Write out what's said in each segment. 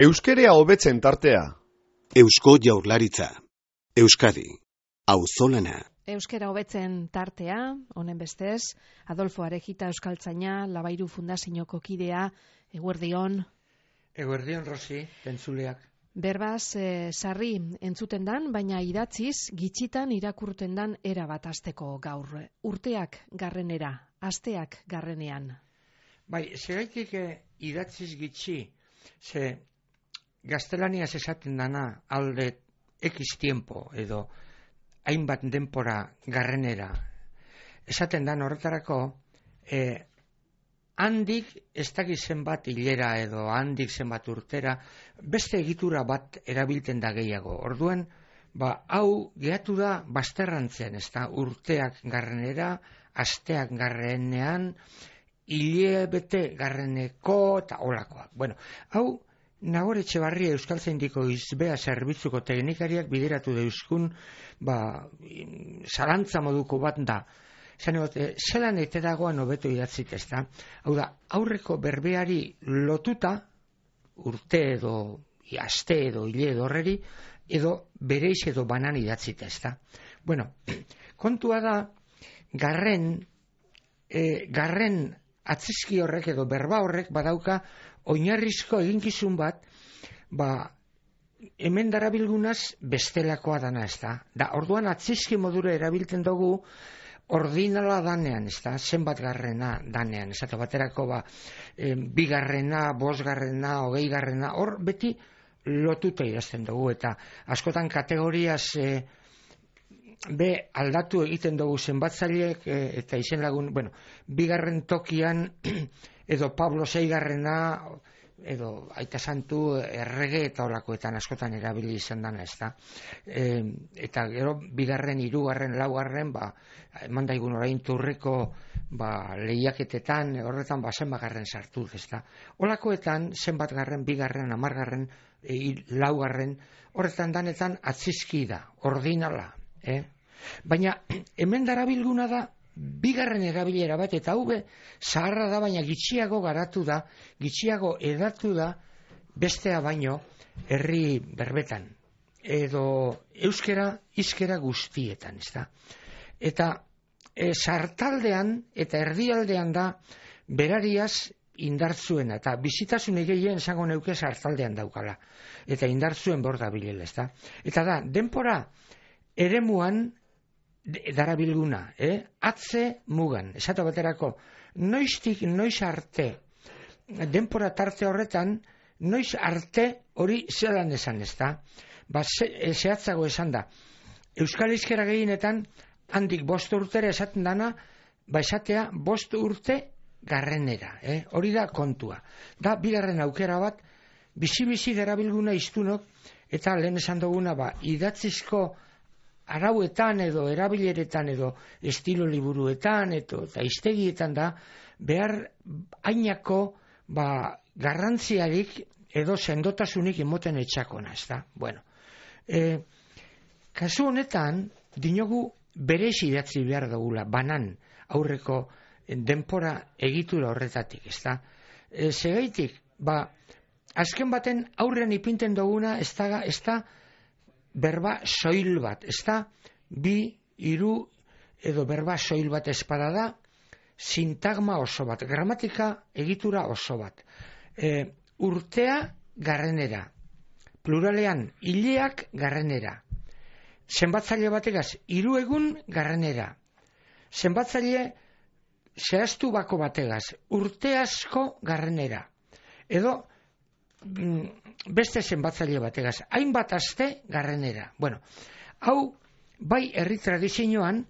Euskerea hobetzen tartea. Eusko Jaurlaritza. Euskadi. Auzolana. Euskera hobetzen tartea, honen bestez, Adolfo Arejita euskaltzaina, Labairu Fundazioko kidea, eguerdion. Eguerdion, Rosi, entzuleak. Berbaz, sarri entzuten dan, baina idatziz, gitxitan irakurten dan erabat asteko gaur. Urteak garrenera, asteak garrenean. Bai, segaitik idatziz gitxi, ze gaztelaniaz esaten dana alde X tiempo edo hainbat denpora garrenera. Esaten dan horretarako, handik ez dakiz zenbat hilera edo handik zenbat urtera, beste egitura bat erabiltzen da gehiago. Orduan, hau gehatu da bazterrantzen, ez da, urteak garrenera, asteak garrenean, hilebete garreneko eta olakoak. Bueno, hau Nagor Etxebarria Euskaltzaindiko izbea zerbitzuko teknikariak bideratu deuzkun, zalantza moduko bat da. Zelan ete dagoan hobeto idatzik, ez da? Hau da, aurreko berbeari lotuta, urte edo, aste edo, hile edo horreri, edo bereiz edo banan idatzita, ez da? Bueno, kontua da, garren atzizki horrek edo berba horrek badauka oinarrizko eginkizun bat, hemen darabilgunaz bestelakoa dana, ez da? Da, orduan atzizki modura erabiltzen dugu ordinala danean, ez da? Zenbat garrena danean, ez da? Baterako, bigarrena, bosgarrena, hogeigarrena, hor beti lotuta idazten dugu, eta askotan kategoriaz aldatu egiten dugu zenbatzaileek eta izen lagun, bigarren tokian edo Pablo seigarrena edo Aita Santu errege eta olakoetan askotan erabili izan dana, ez da. Eta gero bigarren, hirugarren, laugarren, eman daigun orain turreko lehiaketetan, horretan zenbagarren sartu, ez da. Olakoetan zenbat garren, bigarren, hamargarren, laugarren, horretan danetan atzizki da, ordinala. Baina hemen darabilguna da bigarren erabilera bat, eta hau zaharra da, baina gitxiago garatu da, gitxiago edatu da bestea baino herri berbetan edo euskera hizkera guztietan, ez da. Eta sartaldean eta erdialdean da berariaz indartzuena, eta bizitasun gehien esango neuke sartaldean daukala, eta indartzuen bor dabilela, ez da. Eta da, denpora eremuan darabilguna, atze mugan, esatu baterako, noiztik noiz arte, denpora tarte horretan, noiz arte hori zelan esan, ez da? Zehatzago esan da, Euskal Hizkera gehienetan, handik 5 urtera esaten dana, esatea 5 urte garrenera, hori da kontua. Da, bigarren aukera bat, bizi-bizi darabilguna iztunok, eta lehen esan duguna, idatzizko arauetan edo erabileretan edo estilo liburuetan eta hiztegietan da behar ainako garrantziarik edo sendotasunik emoten etxakona, ez da. Bueno, kasu honetan dinogu berez idatzi behar dugula, banan aurreko denpora egitura horretatik, ez da. Segaitik, azken baten aurrean ipinten duguna ez da berba soil bat, ez da, 2, 3 edo berba soil bat espada da, sintagma oso bat, gramatika egitura oso bat. Urtea garrenera, pluralean hileak garrenera, zenbatzaile bategaz 3 egun garrenera, zenbatzaile zehaztu bako bategaz urte asko garrenera, edo beste zenbatzaile bategaz, hainbat aste garrenera. Bueno, hau, bai herri tradizioan,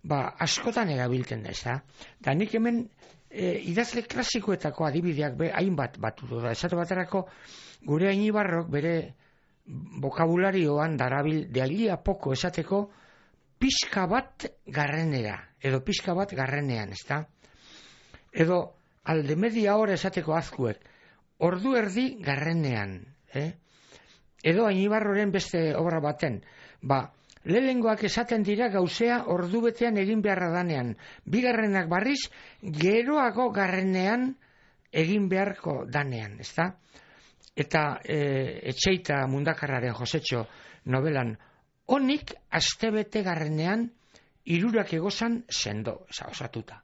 askotan erabiltzen da, ez da. Da nik hemen idazle klasikoetako adibideak hainbat batu da. Esatu baterako, gure Ainibarrok bere bokabularioan darabil, de allí a poco esateko, pixka bat garrenera, edo pixka bat garrenean, ez da. Edo, alde media hora esateko azkuek, ordu erdi garrenean, edo Ainibarroren beste obra baten, lehengoak esaten dira gauzea ordu betean egin beharra danean, bigarrenak barriz geroago garrenean egin beharko danean, ezta? eta Etxeita Mundakarraren Josetxo novelan, honik astebete garrenean hirurak egozan sendo, osatuta,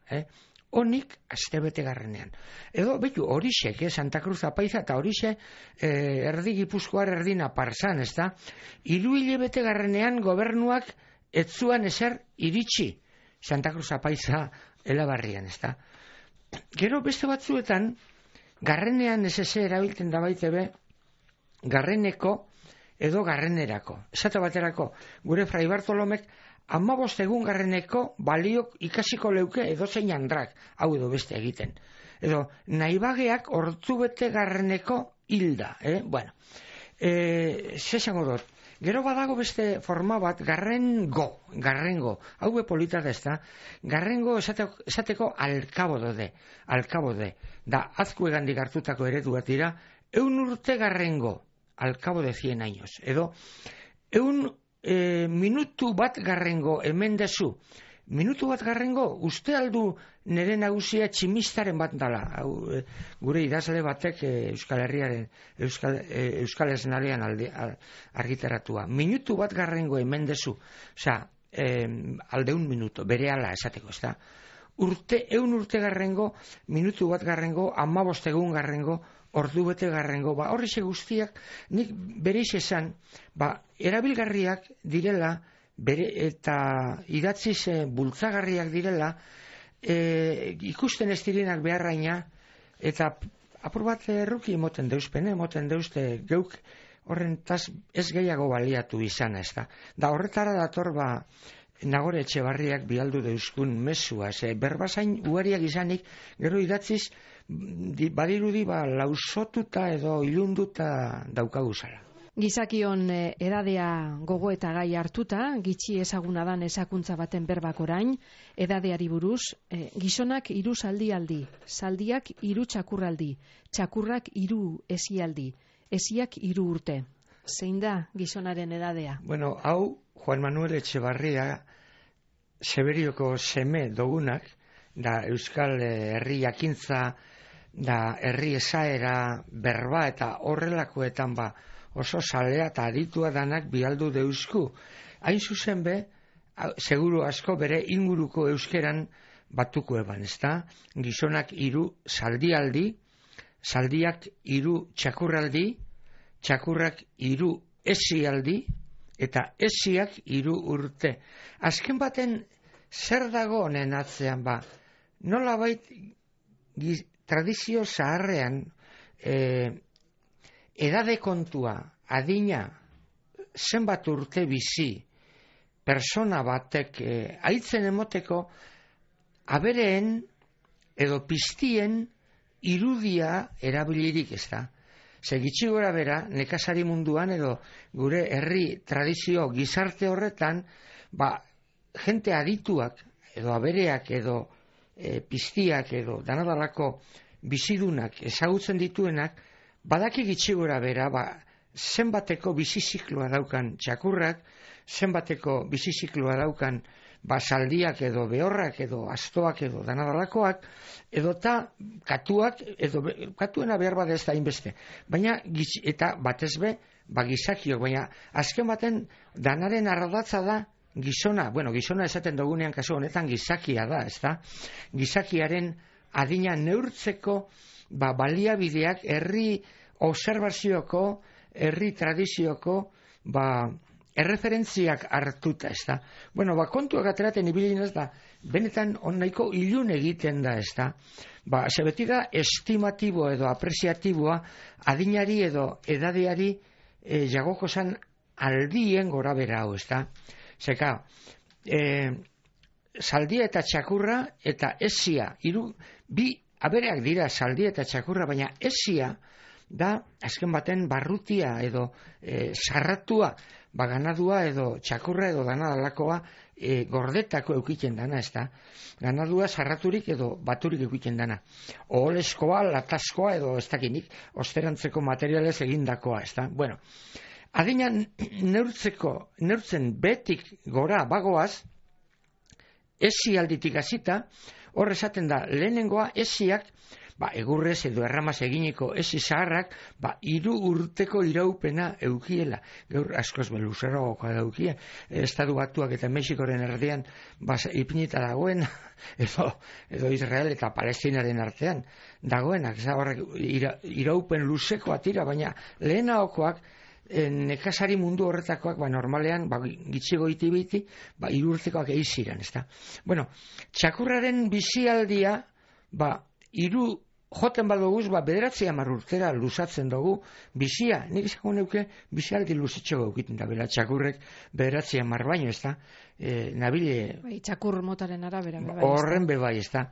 honik astebete garrenean. Edo, betu, horixek, Santa Cruz Apaiza, eta horixe erdi Gipuzkoar erdi Naparzan, ez da? 3 hilabete garrenean gobernuak etzuan ezer iritsi Santa Cruz Apaiza Elabarrian, ez da? Gero beste batzuetan, garrenean ez erabiltzen da baitebe, garreneko edo garrenerako. Esate baterako, gure Fray Bartolomek 15 egun garreneko baliok ikasiko leuke edozein andrak, hau edo beste egiten. Edo, nahibageak ortzubete garreneko hilda, Bueno, zesango dut, gero badago beste forma bat, garrengo, hau polita da ez da, garrengo esateko alkabode, da azkuegandik hartutako eredu bat dira, 100 urte garrengo, al cabo de 100 años, edo, 100 minutu bat garrengo hemen dezu, minutu bat garrengo, uste aldu nire nagusia tximistaren bat dala, gure idazle batek Euskal Herriaren, Euskal Esnalean argitaratua, minutu bat garrengo hemen dezu, osea, alde 1 minuto, bere ala esateko, ez da, 100 urte garrengo, minutu bat garrengo, 15 egun garrengo, ordu bete garrengo, horrixe guztiak, nik bereiz esan, erabilgarriak direla, eta idatziz bultzagarriak direla, ikusten ez direnak beharraina, eta apur bat erruki emoten deuzte geuk horrentaz ez gehiago baliatu izan, ez da. Da horretara dator Nagore Etxebarriak bialdu deuzkun mesua, berbazain ugariak izanik, gero idatziz, badirudi lausotuta edo ilunduta daukaguzala. Gizakion edadea gogo eta gai hartuta, gitxi ezaguna dan ezakuntza baten berbak orain, edadeari buruz, gizonak 3 zaldialdi, zaldiak 3 txakurraldi, txakurrak 3 esialdi, esiak 3 urte. Zein da gizonaren edadea? Bueno, hau Juan Manuel Etxebarria Seberioko seme dogunak, da Euskal Herri jakintza, da herri esaera, berba eta horrelakoetan oso salea eta aditua danak bialdu deuzku. Hain zuzen seguru asko bere inguruko euskeran batuko eban, ez da? Gizonak 3 zaldialdi, zaldiak 3 txakurraldi, txakurrak 3 esialdi, eta esiak 3 urte. Azken baten zer dago honen atzean nolabait tradizio zaharrean edade kontua, adina, zenbat urte bizi, persona batek aitzen emoteko abereen edo piztien irudia erabilirik, ez da. Gitxi gora bera, nekazari munduan edo gure herri tradizio gizarte horretan, jente adituak edo abereak edo piztiak edo danadalako bizidunak ezagutzen dituenak, badaki gitxi gora bera, zenbateko bizizikloa daukan txakurrak, zenbateko bizizikloa daukan zaldiak edo behorrak edo astoak edo danadalakoak, edo eta katuak, edo katuena behar bat ez da inbeste. Baina, eta batez gizakiok, baina azken baten danaren ardatza da gizona, gizona esaten dugunean kasu honetan gizakia da, ez da? Gizakiaren adina neurtzeko baliabideak herri observazioko, herri tradizioko, erreferentziak hartuta, ez da. Kontuak ateraten ibilin ez da, benetan nahiko ilun egiten da, ez da. Beti da estimatibo edo apreziatiboa adinari edo edadeari jagoko zan aldien gora bera hau, ez da. Zeka, zaldia eta txakurra eta esia, bi abereak dira zaldia eta txakurra, baina esia da azken baten barrutia edo sarratua, ganadua edo txakurra edo danadalakoa gordetako eukiten dana, ez da? Ganadua sarraturik edo baturik eukiten dana. Oholeskoa, latazkoa edo ez dakinik, osterantzeko materialez egindakoa, ez da? Adina neurtzen betik gora bagoaz, esi alditik hasita, hor esaten da, lehenengoa esiak egurrez edo erramaz eginiko esi zaharrak, 3 urteko iraupena eukiela. Gaur askoz luzeragokoa daukie, Estatu Batuak eta Mexikoren erdian ipinita dagoen, edo Israel eta Palestinaren artean dagoenak, horrek iraupen luzekoa tira, baina lehenagokoak nekazari mundu horretakoak normalean gitxigo iti-biti 3 urtekoak eiziran, ezta? Bueno, txakurraren bizialdia joten badoguz, 9-10 urtera luzatzen dugu bizia. Nik izango neuke bizialdi luzitxo gaukiten da, bela txakurrek 9-10 baino, ezta? Nabile... Txakur motaren arabera. Horren bebai, ezta?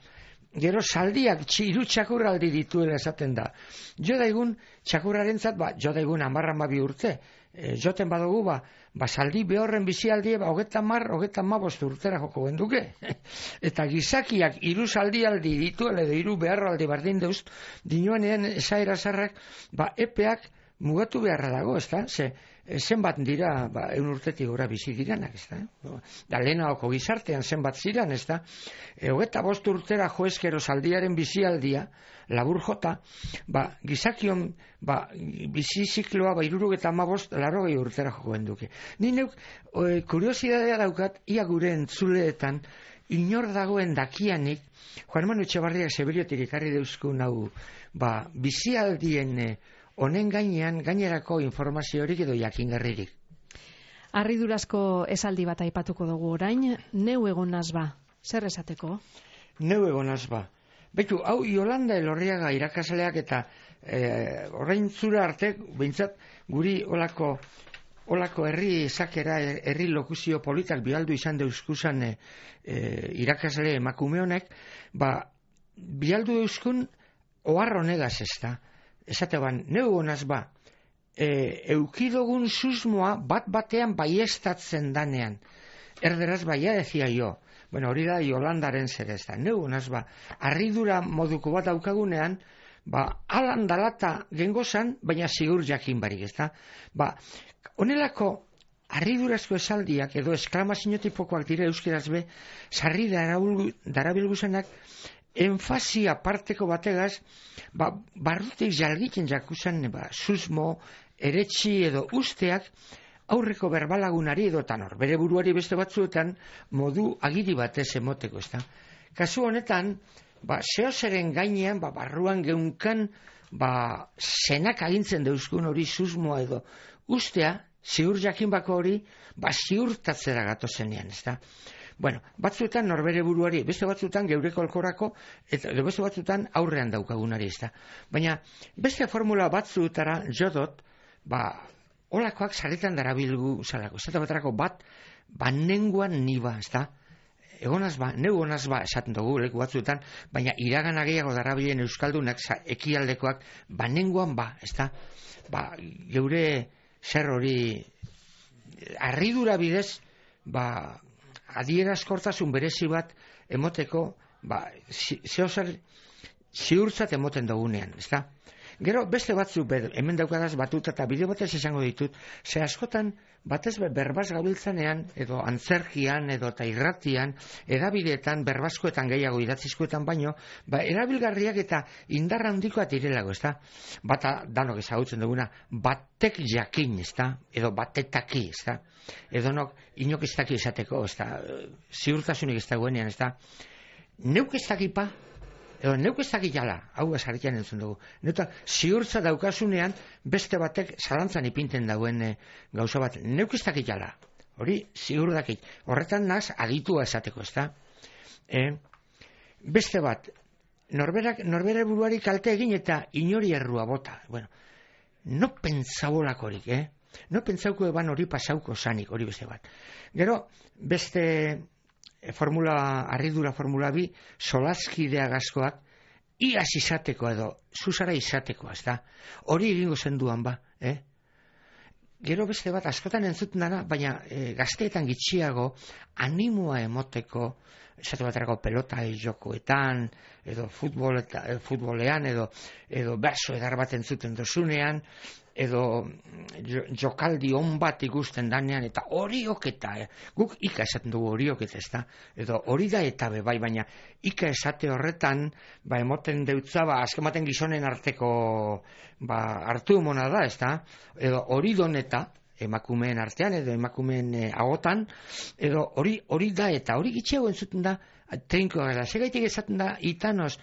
Gero zaldiak 3 txakurraldi dituela esaten da. Jo daigun txakurrarentzat, jo daigun 10-12 urte. Joten badugu, zaldi behorren bizialdie, 30-35 urtera joko genduke. Eta gizakiak 3 zaldialdi dituela edo 3 beharraldi bardin deuz, dinoenean esaera zarrak, epeak mugatu beharra dago, ezta? Zenbat dira, 100 urtetik gora bizi diranak, ezta? Da lehenagoko gizartean zenbat ziren, ezta? 25 urtera joezkero zaldiaren bizialdia, labur jota, gizakion bizi zikloa 75-80 urtera joko genduke. Ni neuk kuriosidadea daukat, ia gure entzuleetan, inor dagoen dakianik, Juan Manu Etxebarriak Seberiotik ekarri deuzkun hau, bizialdien honen gainean gainerako informaziorik edo jakingarririk. Harridurazko esaldi bat aipatuko dugu orain, neu egonaz zer esateko? Neu egonaz Betu, hau Yolanda Elorriaga irakasleak eta orain zura arte, behintzat guri olako herri zakera, herri lokuzio politak bialdu izan deuzkuzan irakasle emakume honek, bialdu deuzkun ohar honegaz ezta. Esate neu honaz eukidogun susmoa bat-batean baiestatzen danean. Erderaz baia decía yo. Bueno, hori da Yolandaren zer ez da. Neu honaz harridura moduko bat daukagunean, alan dalata gengozan, baina zigur jakin barik, ez da. Honelako harridurazko esaldiak edo esklamaziotipokoak dira euskeraz sarri darabilguzenak enfazia parteko bategaz, barrutik jalgiten jakusan, susmo, eretxi edo usteak aurreko berbalagunari edo tanor. Bere buruari beste batzuetan modu agiri batez emoteko, ezta. Kasu honetan, zehozeren gainean, barruan geunkan, zenak agintzen deuzkun hori susmoa edo ustea, ziur jakin bako hori, ziurtatzera gatozenean, ezta. Bueno, batzuetan norbere buruari, beste batzuetan geureko alkorako, eta beste batzuetan aurrean daukagunari, ezta. Baina, beste formula batzuetara jodot, olakoak sarritan darabilgu zalako. Ez da baterako nenguan niba, ezta. Egonaz neu honaz esaten dugu leku batzuetan, baina iragana gehiago darabilen euskaldunak, ekialdekoak, nenguan ezta. Geure zer hori, harridura bidez, adierazkortasun berezi bat emoteko, zehozer ziurtzat emoten dugunean, ezta? Gero beste batzuk hemen daukadaz batuta eta bideo batez izango ditut, ze askotan batez berbaz gabiltzanean, edo antzerkian, edo eta irratian, edabideetan, berbazkoetan gehiago idatzizkoetan baino, erabilgarriak eta indarra handikoa direlago, ezta? Bata danok ezagutzen duguna, batek jakin, ezta? Edo batetaki, ezta? Edo inok ez daki esateko, ezta? Ziurtasunik ez dagoenean, ezta? Neuk ez dakipa, edo neuk ez daki jala, hau esarritan entzun dugu. Neuta, ziurtza daukasunean, beste batek zalantzan ipinten dagoen gauza bat. Neuk ez daki jala, hori ziur dakit. Horretan naz, aditua esateko, ezta? Beste bat, norbere buruari kalte egin eta inori errua bota. Bueno, no pentsabolakorik, No pentsauko eban hori pasauko zanik, hori beste bat. Gero, beste harridura formula bi, solaskidea gazkoak, iaz izateko edo, zuzara izateko, ez da? Hori egingo zenduan Gero beste bat, askotan entzuten dana, baina gazteetan gitxiago, animoa emoteko, esate baterako pelota jokoetan, edo futbolean, edo berso edar bat entzuten dozunean, edo jokaldi on bat ikusten danean, eta horioketa, guk ika esaten dugu horioketa, ez da, edo hori da eta bai, baina ika esate horretan, emoten deutza, azkematen gizonen arteko, hartu mona da, ez da, edo hori doneta, emakumeen artean, edo emakumeen agotan, edo hori da eta hori gitxeago entzuten da, trinkoa gara, segaitik esaten da, itanoz,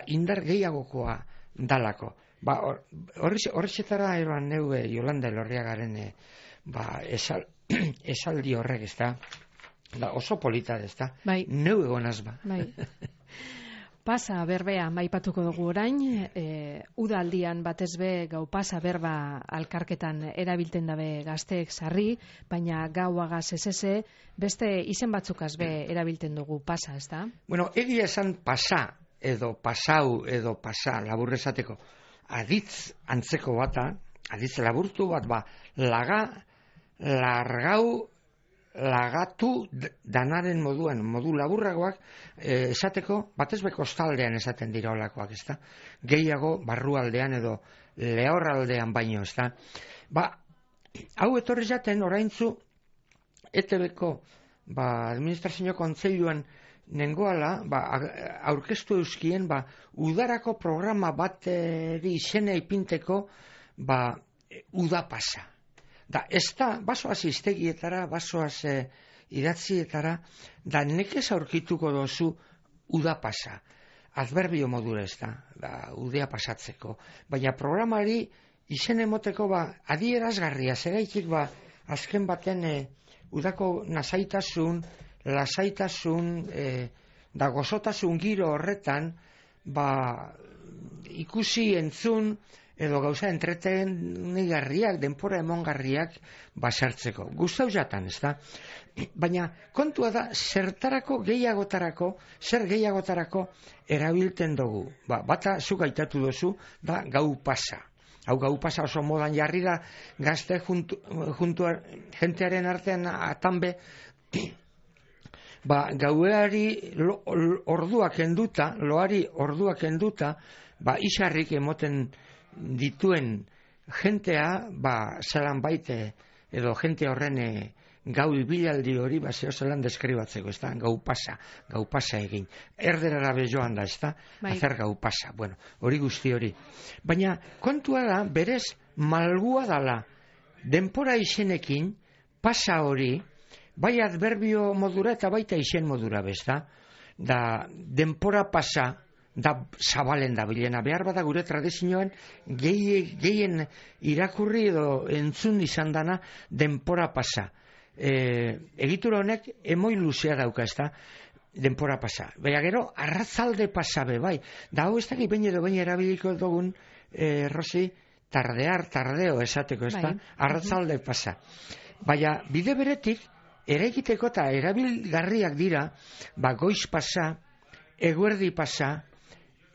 indar gehiagokoa dalako. Horretxetara eroan neue Jolanda Elorriagaren esaldi horrek, ez da, oso polita, ez da, neu egonaz ba. Pasa berbea maipatuko dugu orain, udaldian batez be gau pasa berba alkarketan erabilten dabe gazteek sarri, baina gauagaz esese, beste izen batzukaz be erabilten dugu pasa, ez da? Bueno, egia esan pasa, edo pasau, edo pasa, labur esateko, aditz antzeko bata, aditz laburtu bat, largau, lagatu danaren moduan, modu laburragoak esateko, batez be kostaldean esaten dira olakoak, ez da? Gehiago barrualdean edo lehorraldean baino, ez da? Hau etorri jaten oraintzu ETB-ko administrazio kontseiluan nengoala, aurkeztu euskien, udarako programa bateri izena ipinteko, uda pasa. Da, ez da, basoaz iztegietara, basoaz idatzietara, da nekez aurkituko dozu uda pasa. Adverbio modura ez da, udea pasatzeko. Baina programari izen emoteko adierazgarria, zeraitik azken baten udako nasaitasun, lasaitasun, da gozotasun giro horretan, ikusi entzun, edo gauza entretenigarriak, denpora emongarriak basartzeko. Gustau jatan, ez da? Baina kontua da, zer gehiagotarako erabilten dugu. Bata zuk aitatu dozu, da gau pasa. Hau gau pasa oso modan jarri da, gazte jentearen artean atanbe, gaueari orduak enduta, loari orduak enduta, isarrik emoten dituen jentea, zelan baite, edo jente horren gau ibilaldi hori, zeo zelan deskribatzeko, ez da, gau pasa egin. Erderara bejoan da, ez da, hacer gau pasa, bueno, hori guzti hori. Baina, kontua da, berez, malgua dala, denpora izenekin, pasa hori, bai adverbio modura eta baita izen modura, bezda, da, denpora pasa, da zabalen da bilena. Behar bada gure tradizioan gehien irakurri edo entzun izan dana denpora pasa. Egitura honek emoi luzea dauka, ez da, denpora pasa. Baina gero, arratzalde pasa be, bai. Da hau ez dakit behin edo behin erabiliko dugun, Rosi, tardeo esateko, ez da, arratzalde pasa. Baina bide beretik, eraikiteko eta erabilgarriak dira, goiz pasa, eguerdi pasa,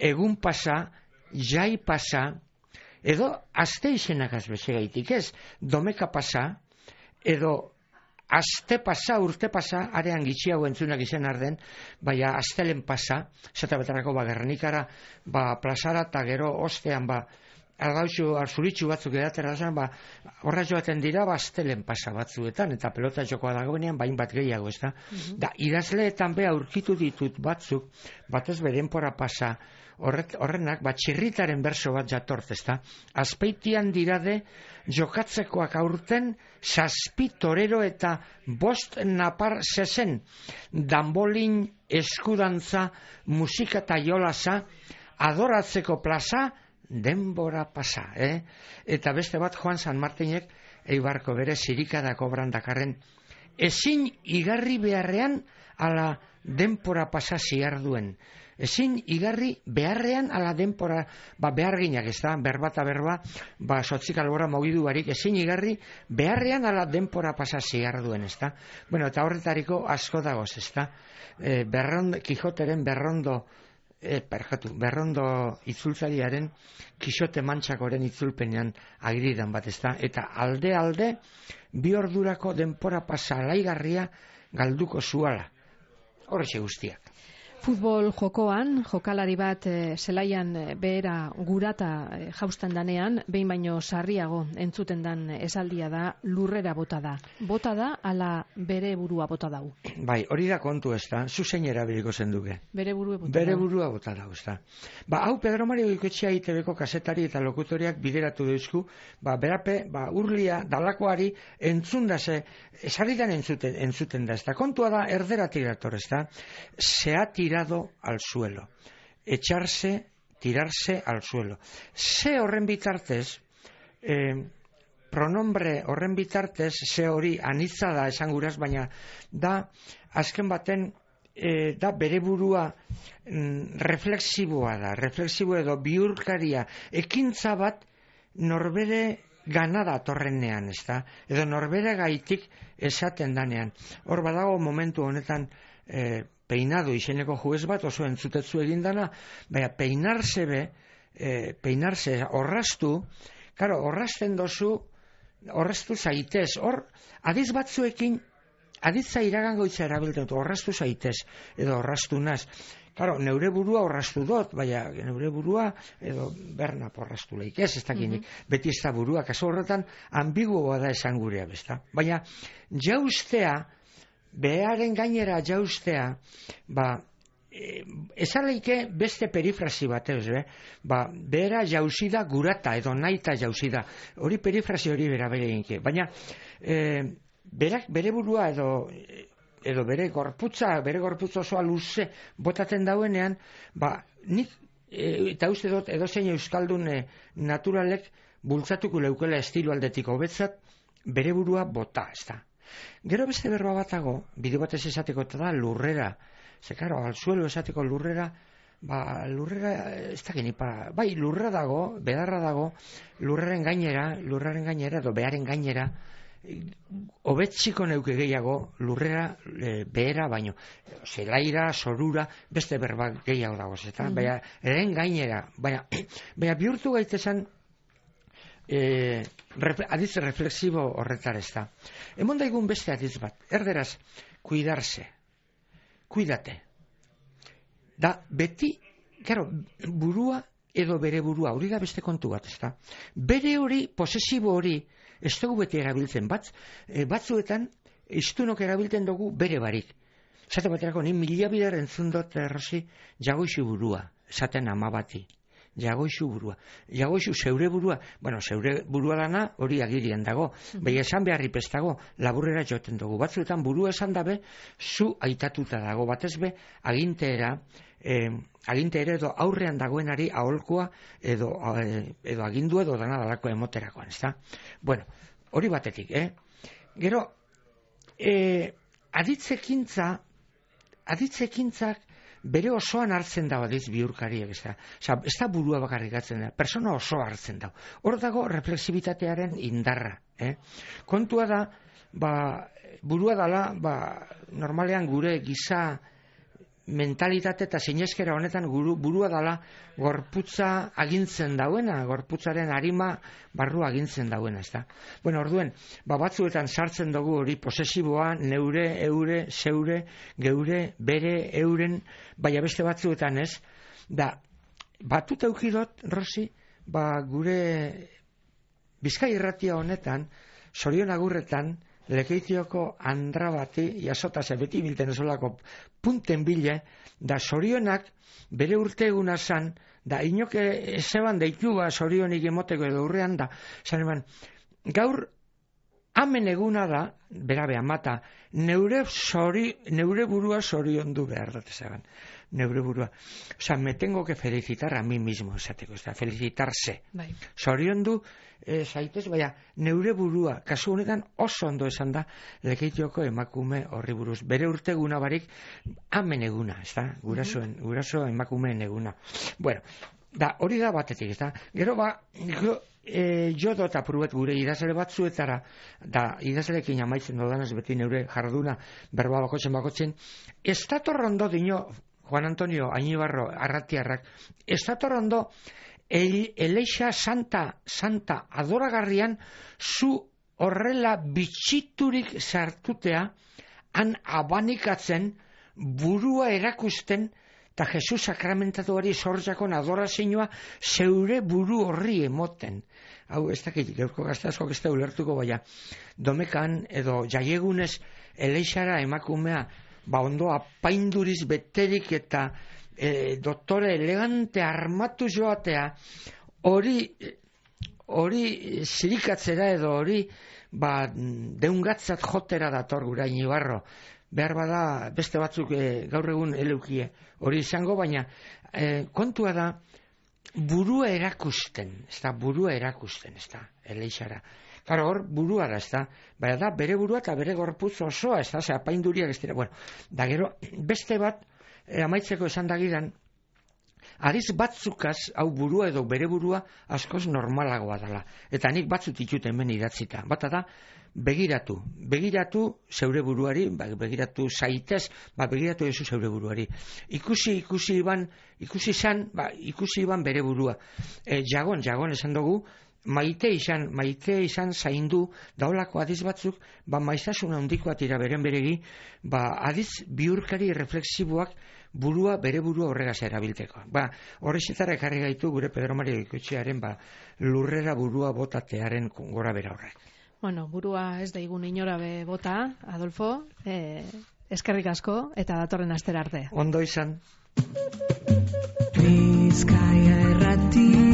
egun pasa, jai pasa, edo aste izenak azbezegaitik ez, domeka pasa, edo aste pasa, urte pasa, arean gitxiago entzunak izen arden, baina astelen pasa, zeta betarako Gernikara, plazara eta gero ostean, argautxu, arzuritxu batzuk edatera zen, horra joaten dira, astelen pasa batzuetan, eta pelota jokoa dagoenean, bain bat gehiago, ez da? Da, idazleetan be aurkitu ditut batzuk, batez bedenpora pasa, horrenak, txirritaren berso bat jatort, ez da? Azpeitian dirade, jokatzekoak aurten, zazpi torero eta bost napar zezen, danbolin, eskudantza, musika eta jolasa, adoratzeko plaza, denbora pasa, Eta beste bat Juan San Martinek, Eibarko bere zirikadako brandakarren, ezin igarri beharrean ala denpora pasa ziarduen. Ezin igarri beharrean ala denpora, beharginak, ez da, berbata berba, sotzik albora mogidu barik, ezin igarri beharrean ala denpora pasa ziarduen, ez da. Bueno, eta horretariko asko dagoz, ez da. Kijoteren berrondo itzultzariaren Kixote Mantxakoren itzulpenean agiridan bat, ez da. Eta alde, bi ordurako denpora pasa alaigarria galduko zuala. Horrexe guztiak. Futbol jokoan, jokalari bat zelaian behera gurata jaustan danean, behin baino sarriago entzuten dan esaldia da lurrera bota da. Bota da, ala bere burua bota dau. Bai, hori da kontu ez da, zuzein erabiliko zenduke. Bere burua bota Bere dau. burua bota dau, ez da. Hau Pedro Mario Goikoetxea ITBko kazetari eta lokutoriak bideratu deuzku, berape, urlia dalakoari entzundase, esaridan entzuten da, ez da. Kontua da, erderatik dator, ez da. Se ha tirado al suelo. Tirarse al suelo. Se horren bitartez, pronombre horren bitartez, se hori anitza da esan guraz, baina da, azken baten, da bere burua reflexiboa da, reflexibo edo bihurkaria, ekintza bat norbere ganada torrenean, ez da, edo norbere gaitik esaten danean. Hor badago momentu honetan peinado izeneko juez bat oso entzutetzu egindana, baina peinarse orrastu, karo, orrasten dozu, orrastu zaitez, hor, adiz batzuekin, aditza iragangoitza erabiltzen dut, orrastu zaitez, edo orrastu naz. Karo, neure burua orrastu dut, baina neure burua, edo Bernap orrastu leik, ez dakinik, beti ez da burua, kaso horretan, ambiguoa da esan gurea, besta. Baina, jaustea, beharen gainera jaustea, ezaleike beste perifrasi bat, behera jausida gurata, edo naita jausida, hori perifrasi hori bera inke, baina bere burua edo bere gorputza osoa luze botaten dauenean, nik, eta uste dut, edozein euskaldun naturalek bultzatuko leukela estilo aldetik hobetzat, bere burua bota, ez da. Gero beste berba batago, bideo batez esateko eta da lurrera. Ze, karo, al suelo esateko lurrera, lurrera, ez da geni, bai, lurra dago, bedarra dago, lurraren gainera, edo beharen gainera, hobetziko neuke gehiago, lurrera, behera, baino, zelaira, sorura, beste berba gehiago dago, eta, baina, eren gainera, baina bihurtu gaitezen, adiz reflexibo horretar ez da. Emon daigun beste adiz bat, erderaz, cuidarse, cuidate. Da, beti, claro, burua edo bere burua, hori da beste kontu bat, ez da. Bere hori, posesibo hori, ez dugu beti erabiltzen, batzuetan, iztunok erabiltzen dugu bere barik. Zate baterako, ni mila bider entzun dut, Rosi, jagoixu burua, esaten ama bati. Jagoixu burua. Jagoixu zeure burua. Bueno, zeure burua dana hori agirien dago. Bai esan beharri pestago, laburrera joten dugu. Batzuetan burua esan dabe, zu aitatuta dago. Batez be, aginteera edo aurrean dagoenari aholkoa edo agindu edo dana dalako emoterakoan, ez da? Bueno, hori batetik, Gero, aditzekintzak bere osoan hartzen dago adiz bihurkariek, ez da. Ez da burua bakarrik hartzen da, persona osoa hartzen dago. Hor dago reflexibitatearen indarra. Kontua da, burua dala, normalean gure giza mentalitate eta sineskera honetan burua dala gorputza agintzen dauena, gorputzaren arima barru agintzen dauena, ez da. Bueno, orduen, batzuetan sartzen dugu hori posesiboa, neure, eure, zeure, geure, bere, euren, baina beste batzuetan ez, da, batuta eukidot, Rosi, gure Bizkai irratia honetan, Zorion Agurretan, Lekeitioko andra bati, jasota ze beti bilten esolako punten bile, da Zorionak bere urte eguna zan, da inoke ezeban deitu Zorionik emoteko edo urrean da, zan eman, gaur amen eguna da, berabe amata, neure burua zoriondu behar dut ezagan. Neure burua. O sea, me tengo que felicitar a mí mismo, esateko, ez da, felicitarse. Zoriondu zaitez, baina neure burua, kasu honetan oso ondo esan da, Lekeitioko emakume horri buruz. Bere urteguna barik, amen eguna, ez da, guraso emakumeen eguna. Bueno, da, hori da batetik, ez da. Gero jo dut apuruet gure idazle batzuetara, da idazlekin amaitzen dodanez beti neure jarduna berba bakotzen, ez dator ondo dino, Juan Antonio Añibarro Arratiarrak, ez dator ondo Eleixa santa adoragarrian zu horrela bitxiturik sartutea han abanikatzen burua erakusten eta Jesus sakramentatuari sortzakon adorazioa zeure buru horri emoten. Hau, ez dakit, gaurko gazteazkoak ez da ulertuko, baina domekan edo jaiegunez eleixara emakumea ondo apainduriz beterik eta doktore elegante armatu joatea hori zirikatzera edo hori deungatzat jotera dator gurain Ibarro. Behar bada beste batzuk gaur egun eleukie hori izango, baina kontua da burua erakusten, ez da, eleixara. Claro, hor burua da, ez da, baina da bere burua eta bere gorputz osoa, ez da, apainduriak ez dira. Bueno, da gero, beste bat, amaitzeko esan dagidan, adiz batzukaz, hau burua edo bere burua askoz normalagoa dela. Eta nik batzut ditut hemen idatzita. Bata da, begiratu zeure buruari, begiratu zaitez, begiratu ezu zeure buruari. Ikusi iban bere burua. Jagon esan dugu, maite izan zaindu, daolako adiz batzuk, maiztasuna handikoa tira beren beregi, adiz bihurkari refleksiboak bere burua horregaz erabilteko. Horrexetara ekarri gaitu gure Pedro Maria Goikoetxearen lurrera burua botatearen gora bera horrek. Bueno, burua ez da igun inora be bota, Adolfo, eskerrik asko eta datorren astera arte. Ondo izan. Bizkaia Irratia